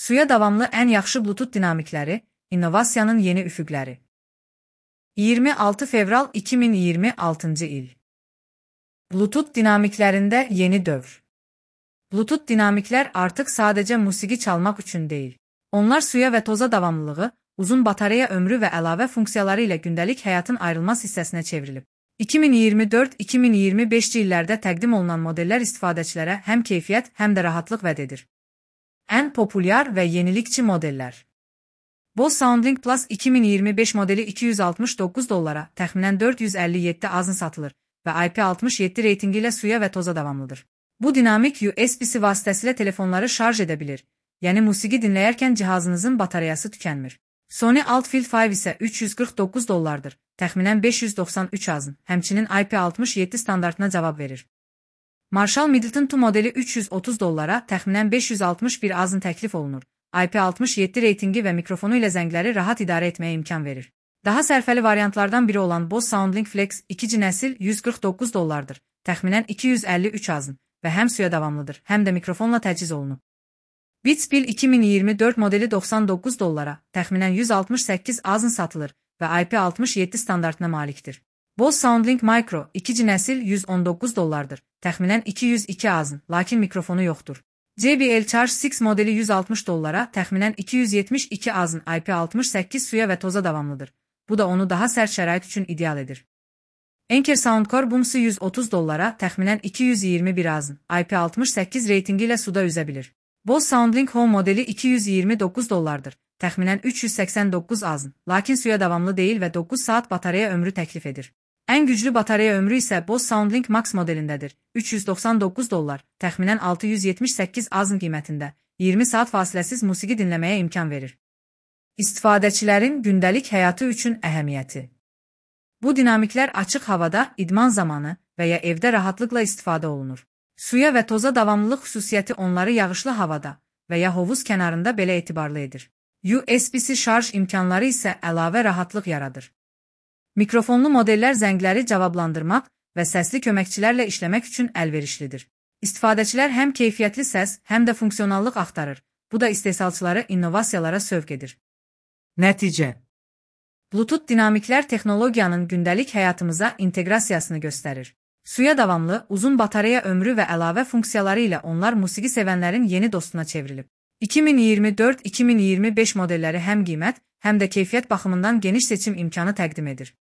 Suya davamlı ən yaxşı Bluetooth dinamikləri, innovasiyanın yeni üfüqləri. 26 fevral 2026 il. Bluetooth dinamiklərində yeni dövr. Bluetooth dinamiklər artıq sadəcə musiqi çalmaq üçün deyil. Onlar suya və toza davamlılığı, uzun batareya ömrü və əlavə funksiyaları ilə gündəlik həyatın ayrılmaz hissəsinə çevrilib. 2024-2025 illərdə təqdim olunan modellər istifadəçilərə həm keyfiyyət, həm də rahatlıq vəd edir. Ən populyar və yenilikçi modellər. Bose SoundLink Plus 2025 modeli $269, təxminən 457 azın satılır və IP67 reytingi ilə suya və toza davamlıdır. Bu dinamik USB-C vasitəsilə telefonları şarj edə bilir, yəni musiqi dinləyərkən cihazınızın batareyası tükənmir. Sony Altfield 5 isə $349, təxminən 593 azın, həmçinin IP67 standartına cavab verir. Marshall Middleton 2 modeli $330, təxminən 561 azın təklif olunur. IP67 reytingi və mikrofonu ilə zəngləri rahat idarə etməyə imkan verir. Daha sərfəli variantlardan biri olan Bose SoundLink Flex 2. nəsil $149, təxminən 253 azın və həm suya davamlıdır, həm də mikrofonla təchiz olunub. Beats Pill 2024 modeli $99, təxminən 168 azın satılır və IP67 standartına malikdir. Bose SoundLink Micro 2. nəsil $119, təxminən 202 azın, lakin mikrofonu yoxdur. JBL Charge 6 modeli $160, təxminən 272 azın, IP68 suya və toza davamlıdır. Bu da onu daha sərt şərait üçün ideal edir. Anker Soundcore Booms'u $130, təxminən 221 azın, IP68 reytingi ilə suda üzə bilir. Bose SoundLink Home modeli $229, təxminən 389 azın, lakin suya davamlı deyil və 9 saat batareya ömrü təklif edir. Ən güclü batareya ömrü isə Bose SoundLink Max modelindədir. $399, təxminən 678 azın qiymətində, 20 saat fasiləsiz musiqi dinləməyə imkan verir. İstifadəçilərin gündəlik həyatı üçün əhəmiyyəti. Bu dinamiklər açıq havada, idman zamanı və ya evdə rahatlıqla istifadə olunur. Suya və toza davamlılıq xüsusiyyəti onları yağışlı havada və ya hovuz kənarında belə etibarlı edir. USB-C şarj imkanları isə əlavə rahatlıq yaradır. Mikrofonlu modellər zəngləri cavablandırmaq və səsli köməkçilərlə işləmək üçün əlverişlidir. İstifadəçilər həm keyfiyyətli səs, həm də funksionallıq axtarır. Bu da istehsalçıları innovasiyalara sövq edir. Nəticə. Bluetooth dinamiklər texnologiyanın gündəlik həyatımıza inteqrasiyasını göstərir. Suya davamlı, uzun batareya ömrü və əlavə funksiyaları ilə onlar musiqi sevənlərin yeni dostuna çevrilib. 2024-2025 modelləri həm qiymət, həm də keyfiyyət baxımından geniş seçim imkanı təqdim edir.